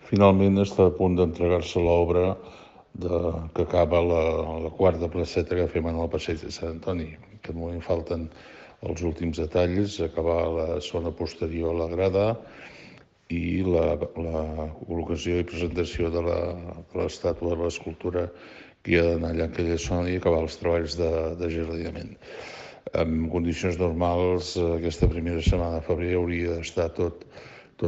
Finalment està a punt d'entregar-se l'obra que acaba la quarta placeta que fem en el passeig de Sant Antoni. En aquest moment falten els últims detalls, acabar la zona posterior a la grada i la col·locació i presentació de l'estàtua, de l'escultura que hi ha d'anar allà en aquella zona i acabar els treballs de jardinament. En condicions normals, aquesta primera setmana de febrer hauria d'estar tot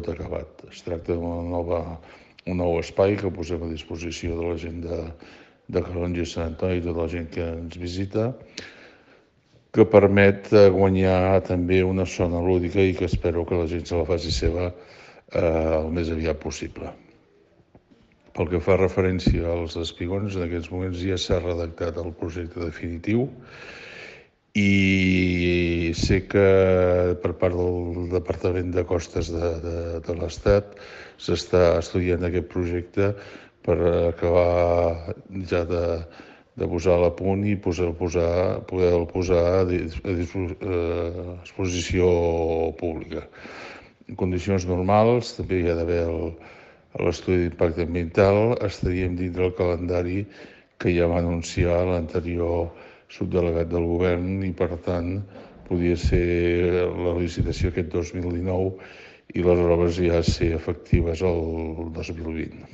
acabat. Es tracta d'un nou espai que posem a disposició de la gent de Calonge i Sant Antoni i tota la gent que ens visita, que permet guanyar també una zona lúdica i que espero que la gent se la faci seva el més aviat possible. Pel que fa referència als espigons, en aquests moments ja s'ha redactat el projecte definitiu i sé que per part del Departament de Costes de l'Estat s'està estudiant aquest projecte per acabar ja de posar-lo a punt i poder-lo posar a exposició pública. En condicions normals també hi ha d'haver l'estudi d'impacte ambiental, estaríem dintre el calendari que ja va anunciar l'anterior subdelegat del govern i, per tant, podia ser la licitació aquest 2019 i les obres ja ser efectives el 2020.